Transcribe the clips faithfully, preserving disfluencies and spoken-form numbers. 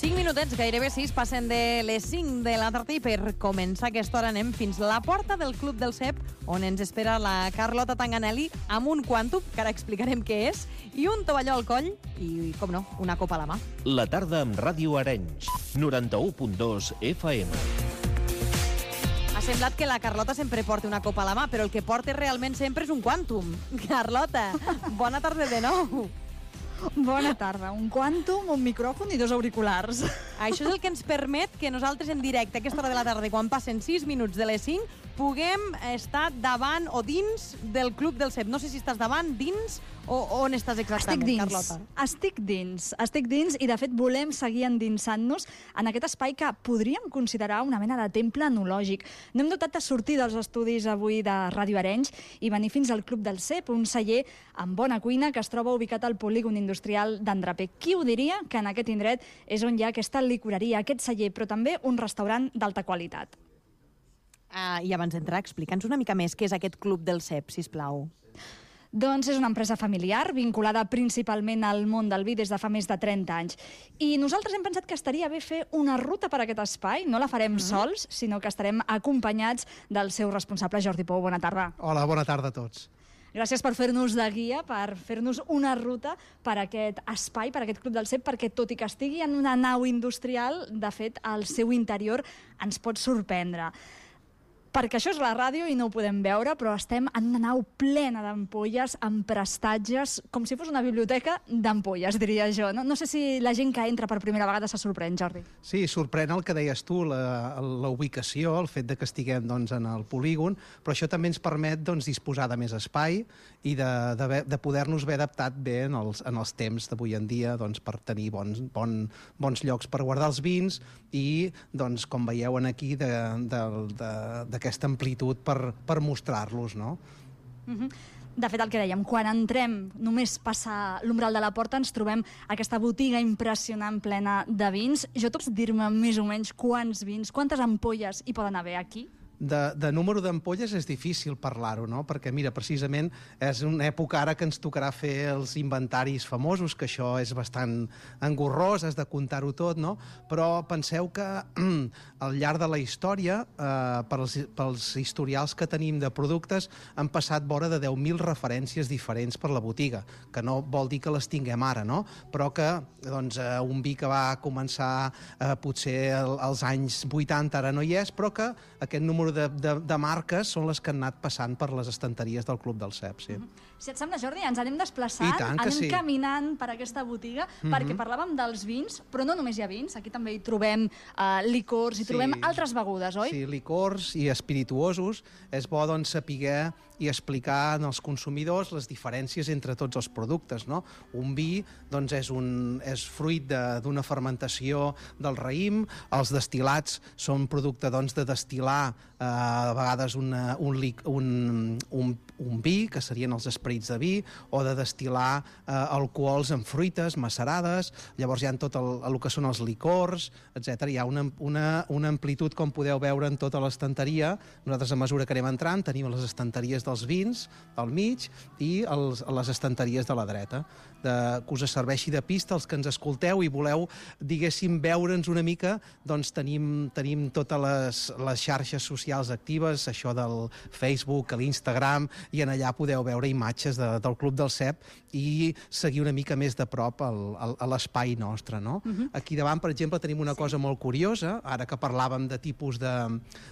cinc minutets, gairebé sis, passen de les cinc de la tarda i per començar aquesta hora anem fins a la porta del Club del Cep, on ens espera la Carlota Tanganelli amb un quàntum, que ara explicarem què és, i un tovalló al coll i, com no, una copa a la mà. La tarda amb Ràdio Arenys, noranta-u punt dos F M. Ha semblat que la Carlota sempre porta una copa a la mà, però el que porta realment sempre és un quàntum. Carlota, bona tarda de nou. Bona tarda. Un quàntum, un micròfon i dos auriculars. Això és el que ens permet que nosaltres en directe a aquesta hora de la tarda, quan passen sis minuts de les cinc, puguem estar davant o dins del Club del Cep. No sé si estàs davant, dins o on estàs exactament, estic dins, Carlota? Estic dins, estic dins i de fet volem seguir endinsant-nos en aquest espai que podríem considerar una mena de temple enològic. No hem dotat de sortir dels estudis avui de Ràdio Arenys i venir fins al Club del Cep, un celler amb bona cuina que es troba ubicat al polígon industrial d'Andrapé. Qui ho diria que en aquest indret és on hi ha aquesta licoreria, aquest celler, però també un restaurant d'alta qualitat. Uh, I abans d'entrar, explica'ns una mica més què és aquest Club del Cep, sisplau. Doncs és una empresa familiar vinculada principalment al món del vi des de fa més de trenta anys. I nosaltres hem pensat que estaria bé fer una ruta per aquest espai. No la farem mm. sols, sinó que estarem acompanyats del seu responsable, Jordi Pou. Bona tarda. Hola, bona tarda a tots. Gràcies per fer-nos de guia, per fer-nos una ruta per aquest espai, per aquest Club del Cep, perquè tot i que estigui en una nau industrial, de fet, el seu interior ens pot sorprendre. Perquè això és la ràdio i no ho podem veure, però estem en una nau plena d'ampolles, amb prestatges, com si fos una biblioteca d'ampolles, diria jo. No, no sé si la gent que entra per primera vegada se sorprèn, Jordi. Sí, sorprèn el que deies tu, la, la ubicació, el fet de que estiguem doncs, en el polígon, però això també ens permet doncs, disposar de més espai i de, de, de poder-nos haver adaptat bé en els, en els temps d'avui en dia doncs, per tenir bons, bon, bons llocs per guardar els vins i, doncs, com veieu aquí, de, de, de, de aquesta amplitud per, per mostrar-los, no? Uh-huh. De fet, el que dèiem, quan entrem, només passar l'umbral de la porta, ens trobem aquesta botiga impressionant plena de vins. Jo pots dir-me més o menys quants vins, quantes ampolles hi poden haver aquí? De, de número d'ampolles és difícil parlar-ho, no? Perquè, mira, precisament és una època ara que ens tocarà fer els inventaris famosos, que això és bastant engorrós, has de comptar-ho tot, no? Però penseu que al llarg de la història, eh, pels, pels historials que tenim de productes, han passat vora de deu mil referències diferents per la botiga, que no vol dir que les tinguem ara, no? Però que, doncs, eh, un vi que va començar eh, potser el, als anys vuitanta ara no hi és, però que aquest número De, de, de marques són les que han anat passant per les estanteries del Club del Cep, sí. Mm-hmm. Si et sembla, Jordi, ens anem desplaçant, anem sí. caminant per aquesta botiga, mm-hmm. perquè parlàvem dels vins, però no només hi ha vins, aquí també hi trobem uh, licors, hi sí. trobem altres begudes, oi? Sí, licors i espirituosos. És bo, doncs, saber i explicar als consumidors les diferències entre tots els productes, no? Un vi, doncs, és, un, és fruit d'una fermentació del raïm, els destil·lats són producte, doncs, de destil·lar eh, a vegades una, un, un, un, un vi, que serien els esperits de vi, o de destil·lar eh, alcohols en fruites macerades. Llavors hi ha tot el, el que són els licors, etcètera. Hi ha una, una, una amplitud, com podeu veure, en tota l'estanteria. Nosaltres, a mesura que anem entrant, tenim les estanteries dels vins al mig i els, les estanteries de la dreta, de, que us serveixi de pista als que ens escolteu i voleu, diguéssim, veure'ns una mica. Doncs tenim, tenim totes les, les xarxes socials actives, això del Facebook, l'Instagram, i en allà podeu veure imatges de, del Club del Cep i seguir una mica més de prop el, el, a l'espai nostre, no? Uh-huh. Aquí davant, per exemple, tenim una cosa molt curiosa, ara que parlàvem de tipus de,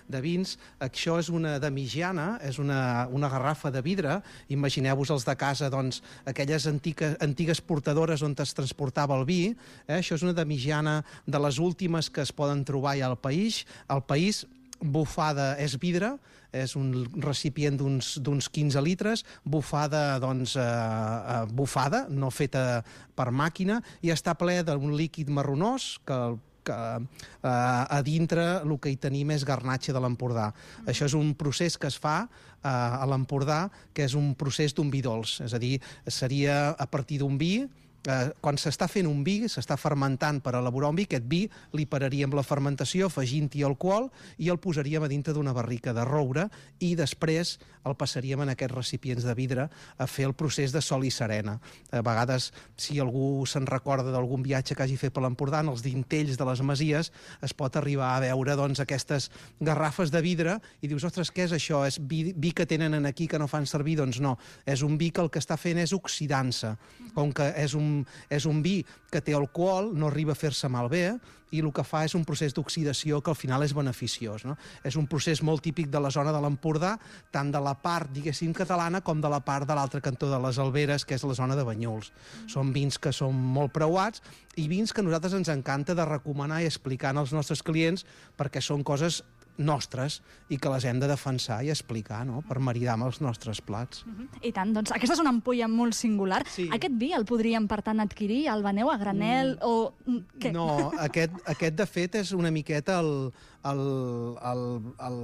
de vins. Això és una damigiana, és una, una garrafa de vidre. Imagineu-vos els de casa, doncs, aquelles antigues, antigues portadores on es transportava el vi. Eh? Això és una damigiana de les últimes que es poden trobar ja al país. Al país, bufada és vidre, és un recipient d'uns quinze litres, bufada, doncs, eh, eh, bufada, no feta per màquina, i està ple d'un líquid marronós que el que eh, a dintre el que hi tenim és garnatxa de l'Empordà. Mm. Això és un procés que es fa eh, a l'Empordà, que és un procés d'un vi dolç, és a dir, seria a partir d'un vi eh, quan s'està fent un vi, s'està fermentant per elaborar un vi, aquest vi li pararíem la fermentació afegint-hi alcohol i el posaríem a dintre d'una barrica de roure i després el passaríem en aquests recipients de vidre a fer el procés de sol i serena. A vegades, si algú se'n recorda d'algun viatge que hagi fet per l'Empordà, en els dintells de les masies es pot arribar a veure doncs, aquestes garrafes de vidre i dius, ostres, què és això? És vi, vi que tenen aquí que no fan servir? Doncs no, és un vi que el que està fent és oxidant-se. Com que és un, és un vi que té alcohol, no arriba a fer-se malbé, i el que fa és un procés d'oxidació que al final és beneficiós. No? És un procés molt típic de la zona de l'Empordà, tant de la part, diguéssim, catalana, com de la part de l'altre cantó de les Alberes, que és la zona de Banyuls. Són vins que són molt preuats i vins que a nosaltres ens encanta de recomanar i explicar als nostres clients perquè són coses nostres i que les hem de defensar i explicar, no?, per maridar amb els nostres plats. Uh-huh. I tant, doncs aquesta és una ampolla molt singular. Sí. Aquest vi el podríem, per tant, adquirir? El veneu a granel mm. o què? No, aquest, aquest de fet és una miqueta el, el, el, el,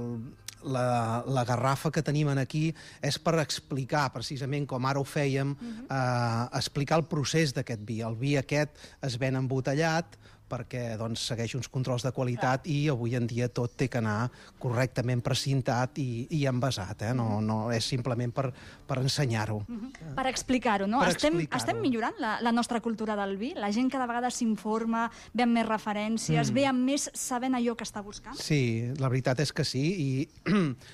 la, la garrafa que tenim aquí és per explicar, precisament com ara ho fèiem, uh-huh. eh, explicar el procés d'aquest vi. El vi aquest es ven embotellat, perquè doncs, segueix uns controls de qualitat i avui en dia tot té que anar correctament precintat i, i envasat. Eh? No, no és simplement per, per ensenyar-ho. Uh-huh. Per explicar-ho, no? Per estem, explicar-ho. estem millorant la, la nostra cultura del vi? La gent cada vegada s'informa, ve amb més referències, mm. ve amb més sabent allò que està buscant? Sí, la veritat és que sí, i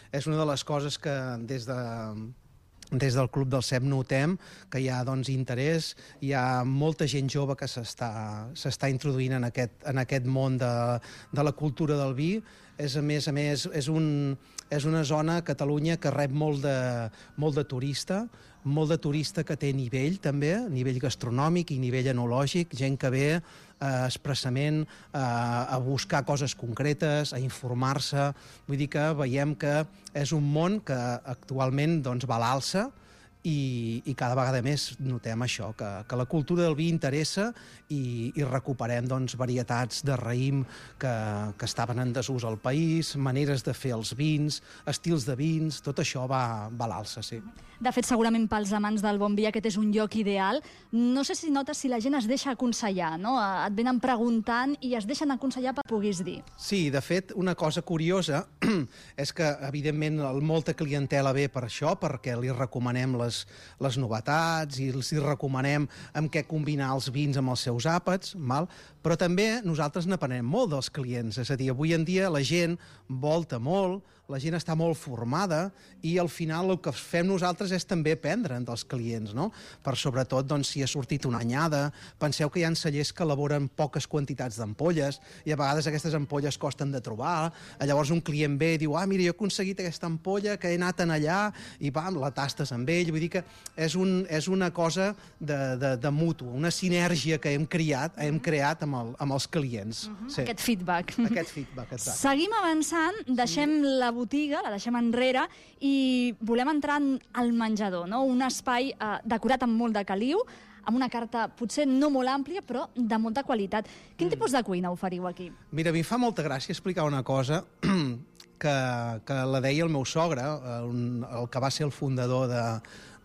és una de les coses que des de... Des del Club del Cep notem que hi ha doncs, interès, hi ha molta gent jove que s'està introduint en aquest, en aquest món de, de la cultura del vi. És, a més a més, és, un, és una zona a Catalunya que rep molt de, molt de turista, molt de turista que té nivell també, nivell gastronòmic i nivell enològic, gent que ve eh, expressament eh, a buscar coses concretes, a informar-se. Vull dir que veiem que és un món que actualment doncs, va a l'alça i, i cada vegada més notem això, que, que la cultura del vi interessa i, i recuperem doncs, varietats de raïm que, que estaven en desús al país, maneres de fer els vins, estils de vins, tot això va, va a l'alça, sí. De fet, segurament pels amants del bon vi aquest és un lloc ideal. No sé si notes si la gent es deixa aconsellar, no? Et venen preguntant i es deixen aconsellar per puguis dir. Sí, de fet, una cosa curiosa és que, evidentment, molta clientela ve per això, perquè li recomanem les, les novetats i els hi recomanem amb què combinar els vins amb els seus àpats, val? Però també nosaltres n'aprenem molt dels clients. És a dir, avui en dia la gent volta molt, la gent està molt formada i al final el que fem nosaltres és també aprendre dels clients, no? Per sobretot, doncs, si ha sortit una anyada, penseu que hi ha cellers que elaboren poques quantitats d'ampolles i a vegades aquestes ampolles costen de trobar, llavors un client ve i diu, ah, mira, jo he aconseguit aquesta ampolla que he anat en allà i pam, la tastes amb ell, vull dir que és, un, és una cosa de, de, de mutu, una sinergia que hem creat, hem creat amb, el, amb els clients. Uh-huh. Sí. Aquest feedback. Aquest feedback, exacte. Seguim avançant, deixem sí. la botiga, la deixem enrere i volem entrar al menjador, no? Un espai eh, decorat amb molt de caliu, amb una carta potser no molt àmplia, però de molta qualitat. Quin mm. tipus de cuina oferiu aquí? Mira, a mi fa molta gràcia explicar una cosa que, que la deia el meu sogre, el, el que va ser el fundador de,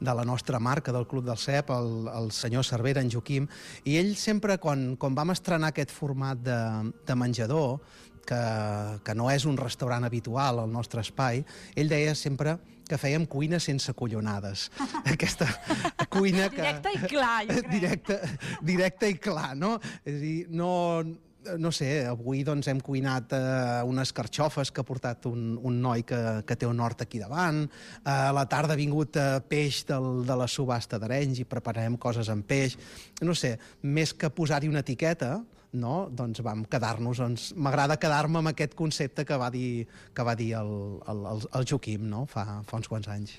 de la nostra marca, del Club del Cep, el, el senyor Cervera, en Joaquim, i ell sempre, quan, quan vam estrenar aquest format de, de menjador, que, que no és un restaurant habitual al nostre espai, ell deia sempre que fèiem cuina sense collonades. Aquesta cuina que... Directe i clar, jo crec. Directe, directe i clar, no? És a dir, no... No sé, avui doncs, hem cuinat eh, unes carxofes que ha portat un, un noi que, que té un hort aquí davant. Eh, a la tarda ha vingut eh, peix del, de la subhasta d'Arenys i prepararem coses amb peix. No sé, més que posar-hi una etiqueta, no? Doncs vam quedar-nos... Doncs, m'agrada quedar-me amb aquest concepte que va dir, que va dir el, el, el, el Joaquim, no? fa, fa uns quants anys.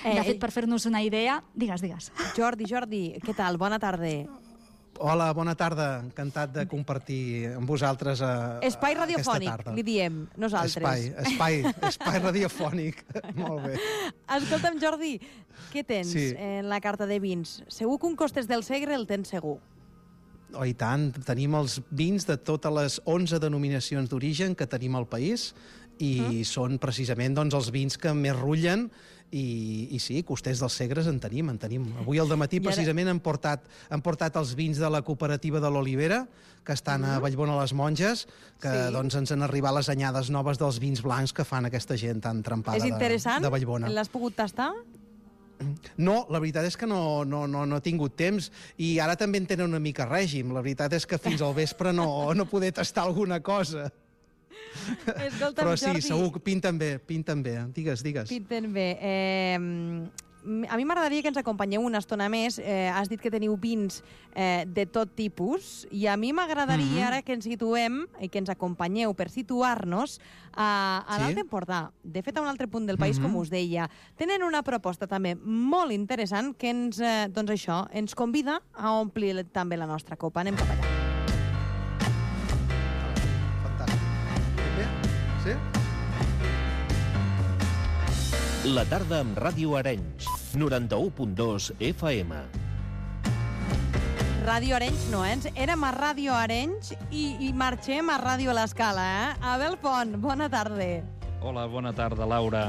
Eh, de fet, per fer-nos una idea... Digues, digues. Jordi, Jordi, què tal? Bona tarda. Hola, bona tarda. Encantat de compartir amb vosaltres a, espai a radiofònic, aquesta tarda. li diem, nosaltres. Espai, espai, espai radiofònic. Molt bé. Escolta'm, Jordi, què tens Sí. en la carta de vins? Segur que un Costes del Segre el tens segur. Oh, i tant. Tenim els vins de totes les onze denominacions d'origen que tenim al país i mm. són precisament doncs, els vins que més rullen. I, i sí, Costers dels Segres en tenim, en tenim. Avui al dematí ara... precisament han portat, han portat els vins de la cooperativa de l'Olivera, que estan mm. a Vallbona a les Monges, que sí. doncs, ens han arribat les anyades noves dels vins blancs que fan aquesta gent tan trempada de, de Vallbona. L'has pogut tastar? No, la veritat és que no, no, no, no he tingut temps, i ara també en tenen una mica règim. La veritat és que fins al vespre no, no poder tastar alguna cosa. Escolta'm, però sí, Jordi, segur que pinten bé, pinten bé. Digues, digues. Pinten bé. Eh, a mi m'agradaria que ens acompanyeu una estona més. Eh, has dit que teniu vins eh, de tot tipus, i a mi m'agradaria mm-hmm. ara que ens situem i que ens acompanyeu per situar-nos a, a sí? l'Alt Empordà. De fet, a un altre punt del país, mm-hmm. com us deia. Tenen una proposta també molt interessant que ens, eh, doncs això, ens convida a omplir també la nostra copa. Anem cap allà. Sí? La tarda amb Ràdio Arenys, noranta-u punt dos F M. Ràdio Arenys no, eh? Érem a Ràdio Arenys i, i marxem a Ràdio l'Escala, eh? Abel Pont, bona tarda. Hola, bona tarda, Laura.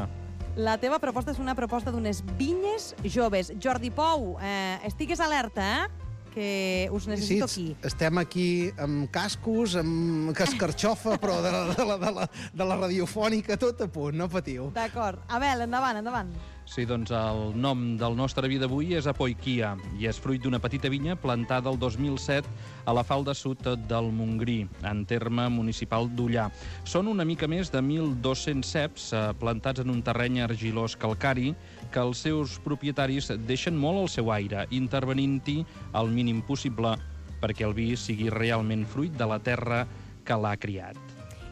La teva proposta és una proposta d'unes vinyes joves. Jordi Pou, eh, estigues alerta, eh? Que us necessito sí, aquí. Estem aquí amb cascos, amb cascarxofa, però de la, de, la, de, la, de la radiofònica, tot a punt, no patiu. D'acord. Abel, endavant, endavant. Sí, doncs el nom del nostre vi d'avui és Apoiquia i és fruit d'una petita vinya plantada el dos mil set a la falda sud del Montgrí, en terme municipal d'Ullà. Són una mica més de mil dos-cents ceps eh, plantats en un terreny argilós calcari que els seus propietaris deixen molt al seu aire, intervenint-hi el mínim possible perquè el vi sigui realment fruit de la terra que l'ha criat.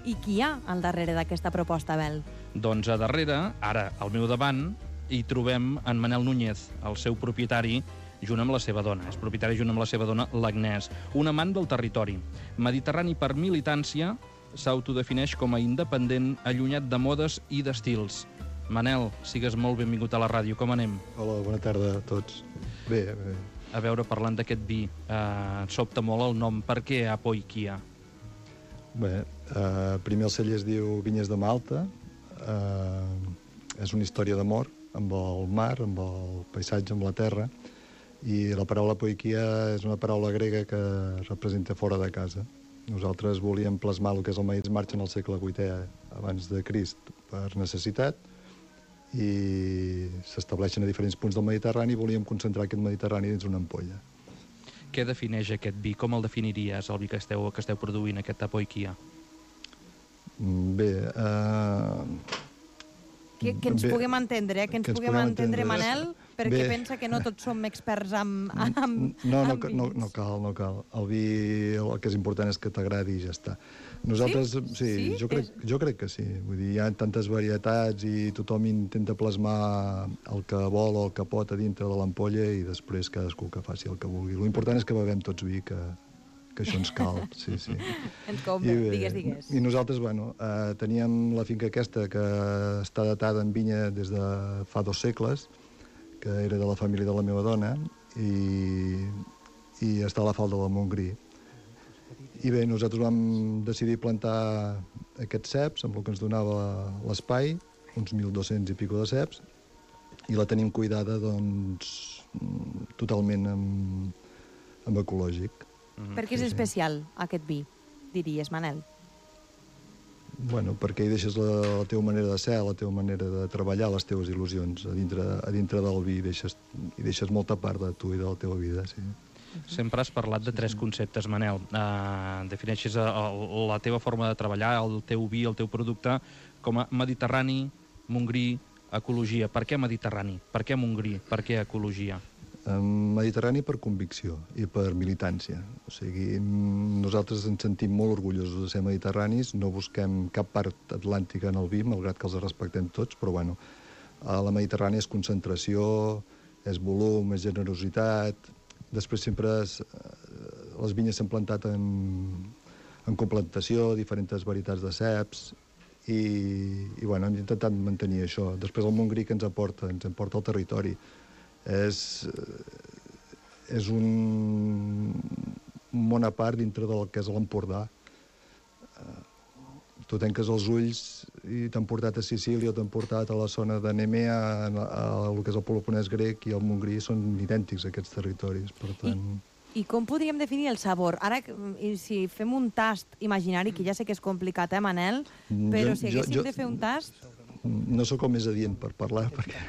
I qui hi ha al darrere d'aquesta proposta, Abel? Doncs a darrere, ara al meu davant, hi trobem en Manel Núñez, el seu propietari, junt amb la seva dona. És propietari junt amb la seva dona, l'Agnès. Un amant del territori. Mediterrani per militància, s'autodefineix com a independent, allunyat de modes i d'estils. Manel, sigues molt benvingut a la ràdio. Com anem? Hola, bona tarda a tots. Bé, bé. A veure, parlant d'aquest vi, eh, sobta molt el nom. Per què Apoiquia? Bé, eh, primer el celler es diu Vinyes de Malta. Eh, és una història d'amor amb el mar, amb el paisatge, amb la terra, i la paraula Apoiquia és una paraula grega que representa fora de casa. Nosaltres volíem plasmar el que és el Maïs March en el segle vuitè abans de Crist per necessitat, i s'estableixen a diferents punts del Mediterrani i volíem concentrar aquest Mediterrani dins una ampolla. Què defineix aquest vi? Com el definiries, el vi que esteu, que esteu produint, aquest Apoiquia? Bé, eh... Que, que ens bé, puguem entendre, eh? que ens que puguem entendre, entendre, Manel, perquè bé. Pensa que no tots som experts amb, amb, no, no, amb no, no cal, no cal. El vi, el que és important és que t'agradi i ja està. Nosaltres, sí, sí, sí? Jo, crec, jo crec que sí. Vull dir, hi ha tantes varietats i tothom intenta plasmar el que vol o el que pot a dintre de l'ampolla i després cadascú que faci el que vulgui. L'important és que bevem tots vi, que, que això ens cal. Sí, sí. Ens compra, digues, digues. I nosaltres, bueno, eh, teníem la finca aquesta que està datada en vinya des de fa dos segles, que era de la família de la meva dona, i, i està a la falda del Montgrí. I bé, nosaltres vam decidir plantar aquests ceps, amb el que ens donava l'espai, uns mil dos-cents i pico de ceps, i la tenim cuidada, doncs, totalment amb, amb ecològic. Mm-hmm. Per què és sí, especial, sí. aquest vi, diries, Manel? Bueno, perquè hi deixes la, la teva manera de ser, la teva manera de treballar, les teves il·lusions. A dintre, a dintre del vi hi deixes, hi deixes molta part de tu i de la teva vida, sí. Sempre has parlat de tres conceptes, Manel. Uh, defineixes el, la teva forma de treballar, el teu vi, el teu producte, com a mediterrani, Montgrí, ecologia. Per què mediterrani? Per què Montgrí? Per què ecologia? Mediterrani per convicció i per militància. O sigui, nosaltres ens sentim molt orgullosos de ser mediterranis, no busquem cap part atlàntica en el vi, malgrat que els respectem tots, però bueno, a la Mediterrània és concentració, és volum, és generositat. Després sempre es, les vinyes s'han plantat en, en complantació, diferents varietats de ceps, i, i bueno, hem intentat mantenir això. Després el Montgrí que ens aporta, ens aporta el territori. És, és un món a part dintre del que és l'Empordà. tu tanques els ulls i t'han portat a Sicília o t'han portat a la zona de Nemea, a, a, a el que és el Peloponès grec i el Montgrí, són idèntics aquests territoris, per tant... I, I com podríem definir el sabor? Ara, si fem un tast imaginari, que ja sé que és complicat, eh, Manel? Però si haguéssim jo, jo, de fer un tast... No sóc el més adient per parlar, perquè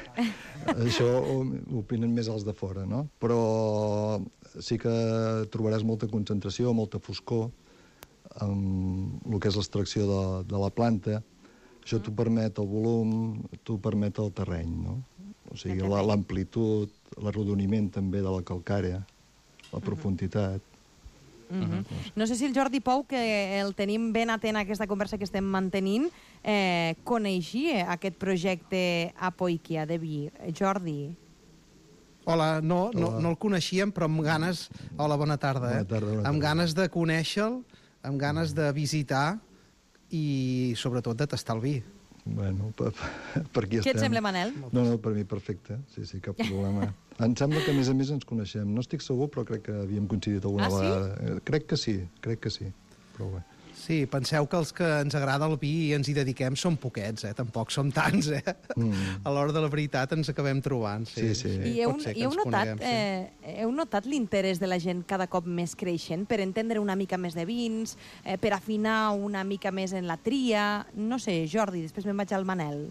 això ho opinen més els de fora, no? Però sí que trobaràs molta concentració, molta foscor, amb el que és l'extracció de, de la planta. Això t'ho permet el volum, t'ho permet el terreny, no? O sigui, l'amplitud, l'arrodoniment també de la calcària, la profunditat. Mm-hmm. No sé si el Jordi Pou, que el tenim ben atent a aquesta conversa que estem mantenint, eh, coneixia aquest projecte Apoikia de vi. Jordi? Hola, no, no, no el coneixíem, però amb ganes... Hola, bona tarda. Eh? Bona tarda, bona tarda. Amb ganes de conèixer-lo, amb ganes de visitar i, sobretot, de tastar el vi. Bueno, per, per aquí estem. Què et sembla, Manel? No, no, per mi perfecte. Sí, sí, cap problema. Em sembla que, a més a més, ens coneixem. No estic segur, però crec que havíem coincidit alguna ah, vegada. Sí? Crec que sí, crec que sí. Però bé. Sí, penseu que els que ens agrada el vi i ens hi dediquem són poquets, eh? Tampoc som tants, eh? Mm. A l'hora de la veritat ens acabem trobant. Sí, sí. sí. I heu, i heu, notat, coneguem, sí. eh, heu notat l'interès de la gent cada cop més creixent per entendre una mica més de vins, eh, per afinar una mica més en la tria? No sé, Jordi, després me'n vaig al Manel.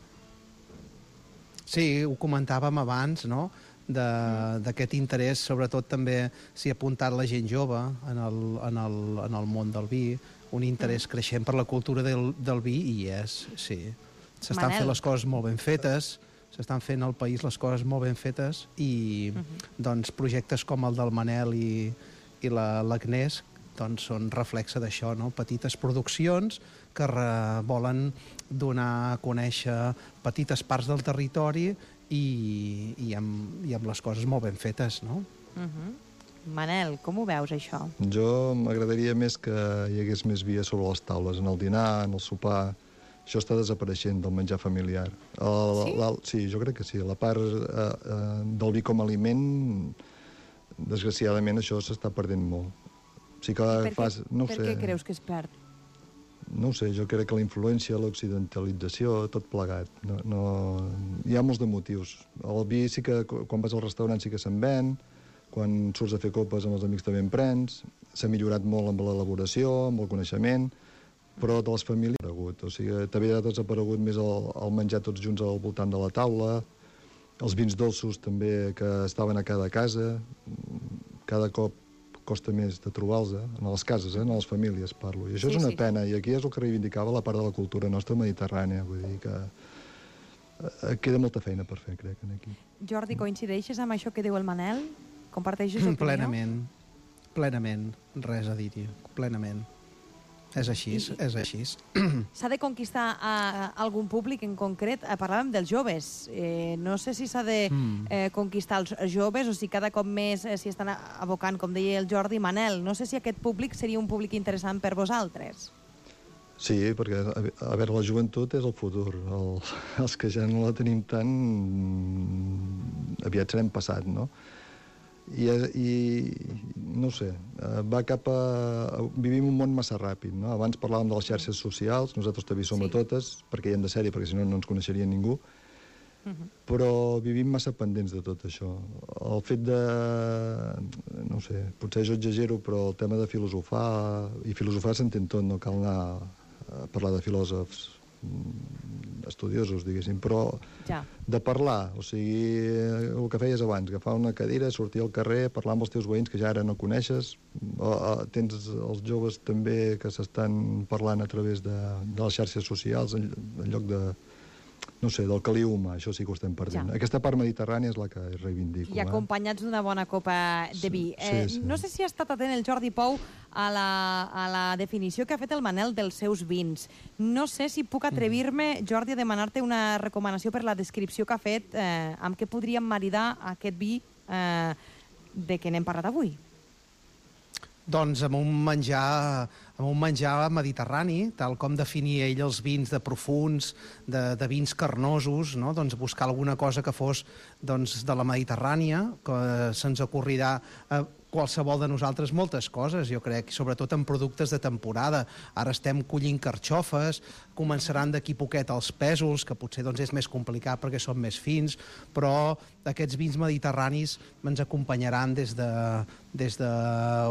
Sí, ho comentàvem abans, no?, d'aquest interès, sobretot també s'hi ha apuntat la gent jove en el, en el, en el món del vi, un interès creixent per la cultura del, del vi, i és, sí. S'estan fent les coses molt ben fetes, s'estan fent al país les coses molt ben fetes, i uh -huh. doncs, projectes com el del Manel i, i l'Agnès doncs, són reflexe d'això, no? Petites produccions que re, volen donar a conèixer petites parts del territori i, i, amb, i amb les coses molt ben fetes, no? Uh-huh. Manel, com ho veus, això? Jo m'agradaria més que hi hagués més vi sobre les taules, en el dinar, en el sopar. Això està desapareixent del menjar familiar. El, sí? La, sí, jo crec que sí. La part eh, eh, del vi com a aliment, desgraciadament, això s'està perdent molt. Sí que per fas, què, no per sé, què creus que es perd? No ho sé, jo crec que la influència, l'occidentalització, tot plegat. No, no... Hi ha molts de motius. El vi sí que, quan vas al restaurant, sí que se'n ven, quan surts a fer copes amb els amics també en prens, s'ha millorat molt amb l'elaboració, amb el coneixement, però de les famílies ha desaparegut. O sigui, també ha desaparegut més el, el menjar tots junts al voltant de la taula, els vins dolços també que estaven a cada casa, cada cop costa més de trobar-los, eh? En les cases, eh? En les famílies parlo. I això sí, és una sí. pena, i aquí és el que reivindicava la part de la cultura nostra mediterrània, vull dir que eh, queda molta feina per fer, crec, aquí. Jordi, coincideixes amb això que diu el Manel? Comparteixes opinió? Plenament, plenament, res a dir-hi, plenament. És així, I, és així. S'ha de conquistar a algun públic en concret? Parlàvem dels joves. Eh, no sé si s'ha de eh, conquistar els joves o si cada cop més eh, s'hi estan abocant, com deia el Jordi. Manel, no sé si aquest públic seria un públic interessant per vosaltres. Sí, perquè, a veure, la joventut és el futur. El, els que ja no la tenim tant, aviat serem passat, no? I, i no ho sé, va cap a... Vivim un món massa ràpid, no? Abans parlàvem de les xarxes socials, nosaltres també som sí. a totes, perquè hi hem de ser-hi, perquè si no no ens coneixeria ningú, uh-huh. però vivim massa pendents de tot això. El fet de... no ho sé, potser jo exagero, però el tema de filosofar, i filosofar s'entén tot, no cal anar a parlar de filòsofs estudiosos, diguéssim, però ja. de parlar, o sigui, el que feies abans, agafar una cadira, sortir al carrer, parlar amb els teus veïns que ja ara no coneixes, o, o, tens els joves també que s'estan parlant a través de, de les xarxes socials en, en lloc de, no sé, del caliu humà, això sí que ho estem perdent. Ja. Aquesta part mediterrània és la que reivindico. I acompanyats d'una bona copa de vi. Sí, eh, sí, sí. No sé si ha estat atent el Jordi Pou a la, a la definició que ha fet el Manel dels seus vins. No sé si puc atrevir-me, Jordi, a demanar-te una recomanació per la descripció que ha fet eh, amb què podríem maridar aquest vi eh, de què n'hem parlat avui. Doncs amb un menjar, amb un menjar mediterrani, tal com definia ell els vins de profuns, de, de vins carnosos, no? Doncs buscar alguna cosa que fos doncs, de la Mediterrània, que se'ns ocorrirà... Eh, qualsevol de nosaltres moltes coses, jo crec, sobretot en productes de temporada. Ara estem collint carxofes, començaran d'aquí poquet els pèsols, que potser doncs, és més complicat perquè són més fins, però aquests vins mediterranis ens acompanyaran des de, des de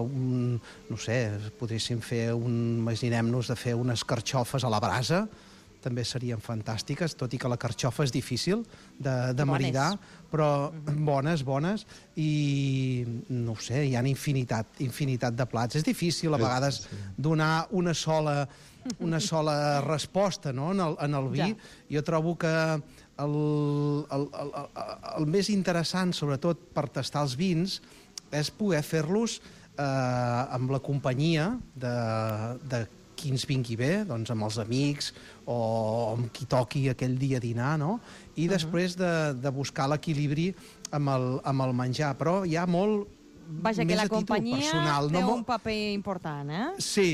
un, no sé, podríem fer un, imaginem-nos de fer unes carxofes a la brasa, també serien fantàstiques, tot i que la carxofa és difícil de, de maridar, però bones, bones, i no ho sé, hi ha infinitat, infinitat de plats. És difícil a vegades donar una sola, una sola resposta, no?, en el, en el vi. Ja. Jo trobo que el, el, el, el, el més interessant, sobretot per tastar els vins, és poder fer-los eh, amb la companyia de, de qui ens vingui bé, doncs amb els amics o amb qui toqui aquell dia a dinar, no? I uh-huh. després de, de buscar l'equilibri amb, el, amb el menjar. Però hi ha molt Vaja, més que la a títol companyia personal. té no? un paper important, eh? Sí,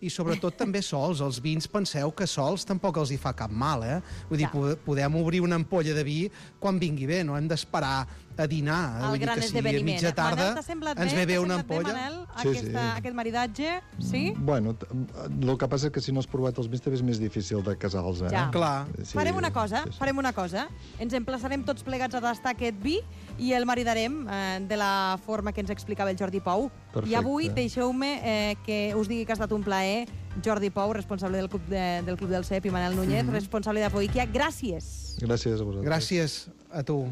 i sobretot també sols. Els vins, penseu que sols tampoc els hi fa cap mal, eh? Vull dir, ja. podem obrir una ampolla de vi quan vingui bé, no hem d'esperar a dinar. El Vull gran dir que si a esdeveniment. mitja tarda Manel, t'ha semblat ens bé? ve bé T'ha una semblat bé, ampolla. Manel, Sí, aquesta, sí. aquest maridatge? Sí? Bueno, t- el que passa és que si no has provat els vins també és més difícil de casar-los, eh? Ja. Clar. Sí, Farem una cosa, sí, sí. farem una cosa. Ens emplaçarem tots plegats a tastar aquest vi i el maridarem eh, de la forma que ens explicava el Jordi Pou. Perfecte. I avui deixeu-me eh, que us digui que ha estat un plaer. Jordi Pou, responsable del Club, de, del Club del Cep, i Manel Núñez, mm-hmm. responsable d'Apoiquia. Gràcies. Gràcies a vosaltres. Gràcies a tu.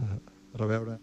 A reveure.